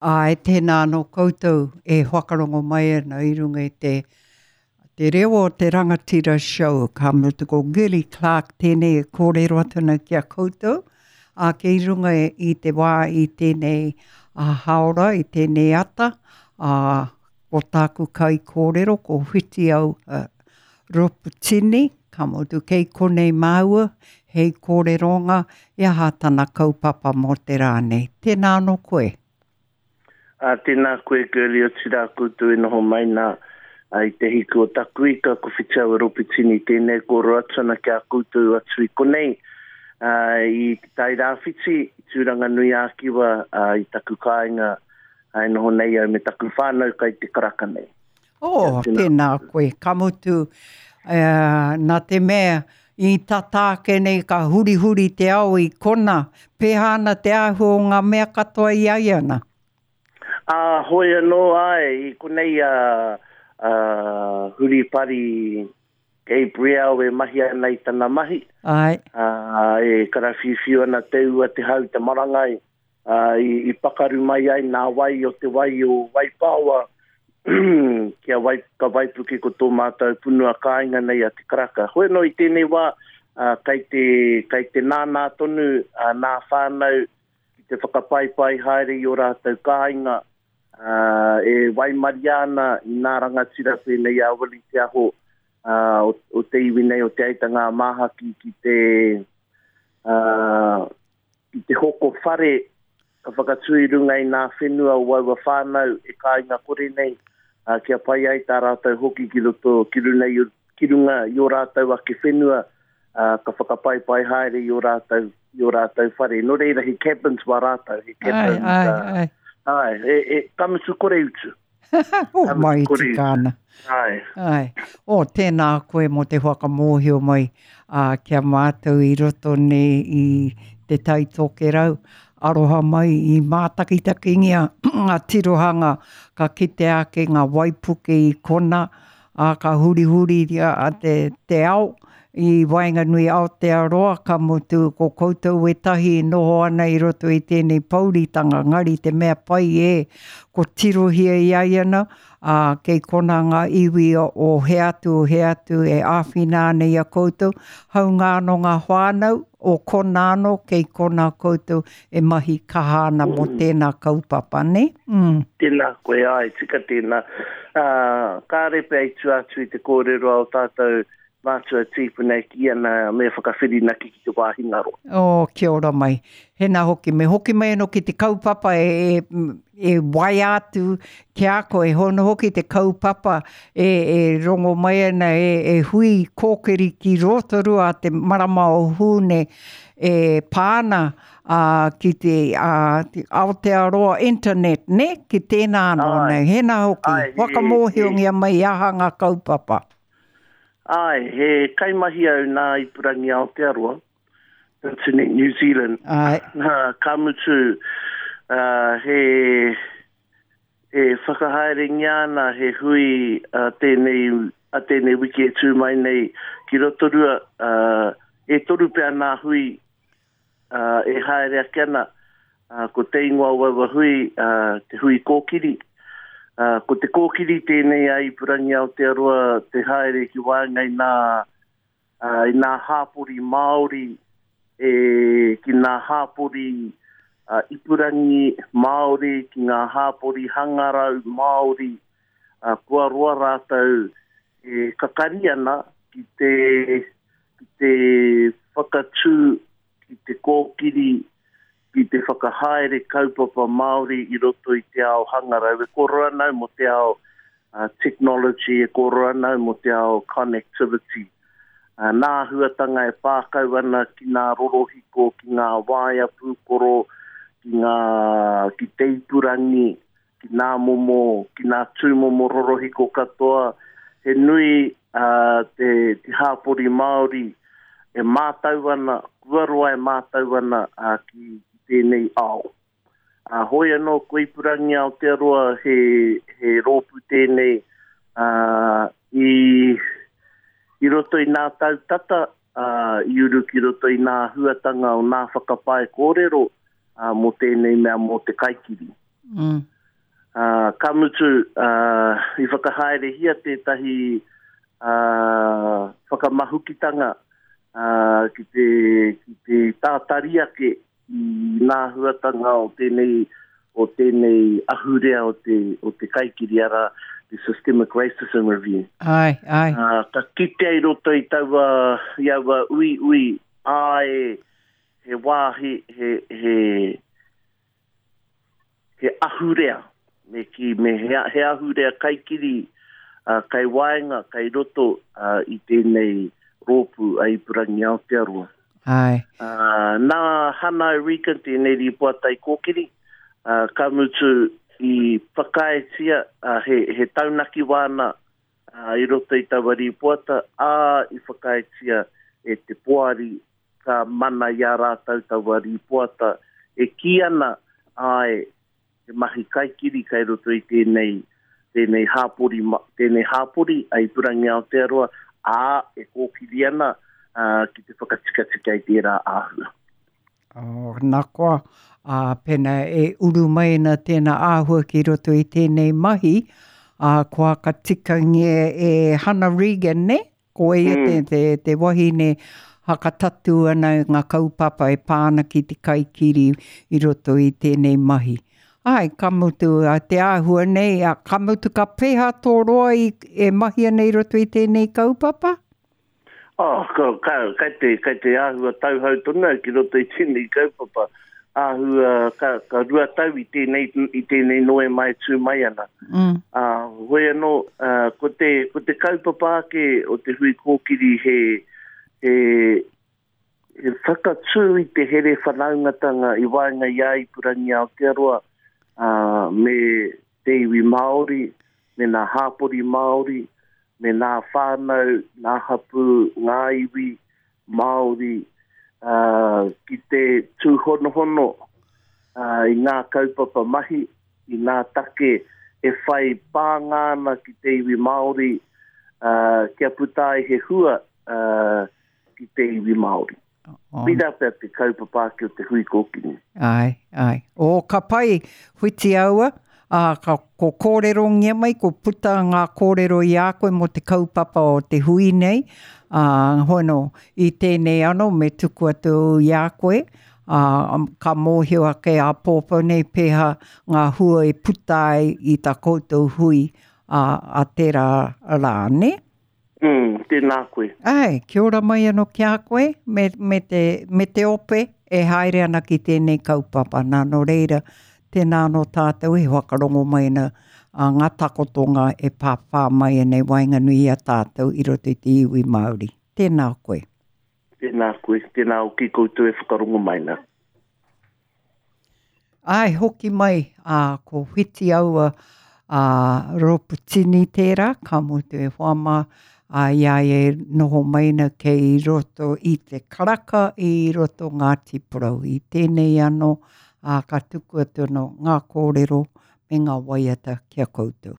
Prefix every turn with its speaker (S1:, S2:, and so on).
S1: Āe, tēnā anō koutou e whakarongo mai ana i runga i te, te reo o te rangatira show. Ka mutu ko Girlie Clarke tēnei e kōrero atu ana ki a koutou. Ā, kei runga i te wā i tēnei hāora, i tēnei ata, ā, ko tāku kaikōrero ko Whitiau Roputini, ka mutu kei konei māua hei kōreronga e aha tana kaupapa mō te rā nei. Tēnā anō koe.
S2: Ā, tēnā koe Girlie, otirā koutou e noho mai nā i te hiku o taku ika, ko Whitiaua Roputini tēnei e kōrero atu ana ki a koutou atu i konei, ā, i Te Tairāwhiti, i Tūranganui-ā-Kiwa, ā, i taku kāinga, ā, e noho nei au me taku whānau kai te karaka nei.
S1: Oh, tēnā koe. Ka mutu, nā te mea, i tata ake nei ka hurihuri te ao i kona, pēhā ana te āhua o ngā mea katoa i a ia nā?
S2: Ā, hoi anō, āe, i konei a, a Huripari Gabrielle e mahi ana i tana mahi.
S1: Āe.
S2: Ā, e karawhiuwhiu ana te ua, te hau, te marangai. ā, i pakaru mai ai nā wai o te wai o Waipaoa kia wai, ka waipuke ko tō mātou punua kāinga nei a Te Karaka. Hoi anō i tēnei wā, ā, kei te, kei te nānā tonu ā, nā whānau ki te whakapaipai haere i ō rātou kāinga, ā, e waimaria ana i nā rangatira pēnei a Willie Te Aho, ā, o, o te iwi nei o Te Aitanga-a-Māhaki ki te, ā, ki te hoko whare ka whakatū i runga i nā whenua o aua whānau e kāinga kore nei, ā, kia pai ai tā rātou hoki ki roto, ki runa i, ki runga i ō rātou ake whenua, ā, ka whakapaipai haere i ō rātou, i ō rātou whare. Nō reira, he cabins wā rātou, he cabins,
S1: ā, ai, ai.
S2: Āe, e, e, ka mutu kore utu.
S1: Oh, mai tika ana.
S2: Ai.
S1: Ai. Oh, tēnā koe mō te whakamōhio mai ā, ki a mātou i roto nei i Te Tai Tokerau. Aroha mai i mātakitakingia ngā tirohanga ka kitea ake ngā waipuke i kona, ā, ka hurihuriria te, te ao i waenganui Aotearoa, ka mutu ko koutou wētahi e noho ana i roto i tēnei pouritanga, ngari te mea pai e, ko tirohia i a ia na, ā, kei kona ngā iwi o hea atu, o hea atu e āwhina ana i a koutou, haunga anō ngā whānau o kona anō, kei kona koutou e mahi kaha ana mō tēnā kaupapa, nē?
S2: Mm. Tēnā koe, āe, tika tēnā. Ā, kāre pea i tua atu i te kōrero a ō tātou mātua tīpuna e kī ana me whakawhirinaki ki te wāhi ngaro.
S1: Oh, kia ora mai. Hēnā hoki, me hoki mai anō ki te kaupapa e, e, e waea atu ki a koe. Hono hoki te kaupapa e, e rongo mai ana, e, e hui kōkiri ki Rotorua te marama o Hūne e pā ana ā, ki te, ā, te Aotearoa Internet, nē? Ki tēnā anō nei. Hēnā hoki,
S2: Āe, he, he.
S1: whakamōhiongia mai aha ngā kaupapa.
S2: Āe, he kaimahi au nā Ipurangi Aotearoa, Internet New Zealand.
S1: Āe.
S2: Nā, ka mutu, ā, he, e whakahaerengia ana he hui a tēnei, a tēnei wiki e tū mai nei ki Rotorua, ā, e toru pea nā hui ā, e haere ake ana, ā, ko te ingoa o aua hui, ā, te hui kōkiri. Ā, ko te kōkiri tēnei a Ipurangi Aotearoa te haere ki waenga i nā, ā, i nā hāpori Māori, e, ki nā hāpori ā, ipurangi Māori, ki ngā hāpori hangarau Māori, ā, kua roa rātou e kakari ana ki te, ki te whakatū, ki te kōkiri, ki te whakahaere kaupapa Māori i roto i te ao hangarau. E kōrero ana au mō te ao technology, e kōrero ana au mō te ao connectivity. Nā āhuatanga e pā kau ana ki ngā rorohiko, ki ngā waea pūkoro, ki ngā, ki te ipurangi, ki nā momo, ki nā tūmomo rorohiko katoa, he nui te, te hāpori Māori e mātau ana, kua roa e mātau ana ki, ki tēnei ao. Ā, hoi anō ko Ipurangi Aotearoa he, he rōpū tēnei ā, i, i roto i nā tau tata, ā, i uru ki roto i nā huatanga o nā whakapae kōrero ā, mō tēnei mea mō te kaikiri.
S1: Mm.
S2: Ā, ka mutu, ā, i whakahaerehia tētahi, ā, whakamahukitanga, ā, ki te, ki te tātari ake i nā āhuatanga o tēnei, o tēnei ahurea o te, o te kaikiri, arā, te Systemic Racism Review.
S1: Āe, āe.
S2: Ā, ka kitea i roto i taua, i aua uiui, āe, he wāhi, he, he, he ahurea, me kī, me he, he ahurea kaikiri uh, kai waenga, kai roto uh, i tēnei rōpū a Ipurangi Aotearoa.
S1: Ai.
S2: Uh, nā Hana Regan tēnei rīpoata i kōkiri, uh, ka mutu i whakaaetia uh, he, he taunaki wāna uh, i roto i taua rīpoata, ā, i whakaaetia e te poari ka mana i a rātou taua rīpoata e kī ana, āe, he mahi kaikiri kai roto i tēnei, tēnei hāpori, tēnei hāpori a Ipurangi Aotearoa, ā, e kōkiri ana ki te whakatikatika i tērā āhua.
S1: Oh, nā koa, ā, pēnā e uru mai ana tēnā āhua ki roto i tēnei mahi, ā, kua ka tikangia e Hana Regan, nē? Ko ia mm. te, te, te wahine hakatatu ana i ngā kaupapa e pā ana ki te kaikiri i roto i tēnei mahi. Ai, ka mutu a te āhua nei, a, ka mutu ka pēhā tō roa i, e mahi ana i roto i tēnei kaupapa?
S2: Oh, ka, ka, kai te, kai te āhua tauhou tonu au ki roto i tēnei kaupapa. Āhua, ka, ka 2 tau i tēnei, i tēnei Noema e tū mai ana.
S1: Mm.
S2: Ā, hoi anō, ā, ko te, ko te kaupapa ake o te hui kōkiri he, he, he whakatū i te here whanaungatanga i waenga i a Ipurangi Aotearoa, ā, me te iwi Māori, me nā hāpori Māori, me nā whānau, nā hapū, ngā iwi Māori, ā, ki te tūhonohono, ā, i ngā kaupapa mahi, i ngā take e whai pānga ana ki te iwi Māori, ā, kia puta ai he hua, ā, ki te iwi Māori. Oh. Pērā pea te kaupapa ake o te hui kōkiri.
S1: Ai, ai. O, ka pai, Whitiaua, ā, ka, ko kōrerongia mai, ko puta ngā kōrero i a koe mō te kaupapa o te hui nei, ā, hono, i tēnei ano me tuku atu i a koe, ā, ka mōhio ake āpōpō nei pēhā ngā hua e puta ai i tā koutou hui, ā, a tērā rā, nē?
S2: Mm, tēnā koe.
S1: Āe, kia ora mai anō ki a koe, me, me, te, me te ope e haere ana ki tēnei kaupapa. Nā, nō reira, tēnā anō tātou e whakarongo mai ana a ngā takotonga e pāpā mai ana i waenganui i a tātou i roto i te iwi Māori. Tēnā koe.
S2: Tēnā koe, tēnā hoki koutou e whakarongo mai nā.
S1: Āe, hoki mai, ā, ko Whitiaua, ā, Roputini tērā, ka mutu e hoa mā, ā, i a ia e noho mai ana kei roto i te karaka i roto Ngāti Porou. I tēnei anō, ā, ka tuku atu anō ngā kōrero me ngā waiata ki a koutou.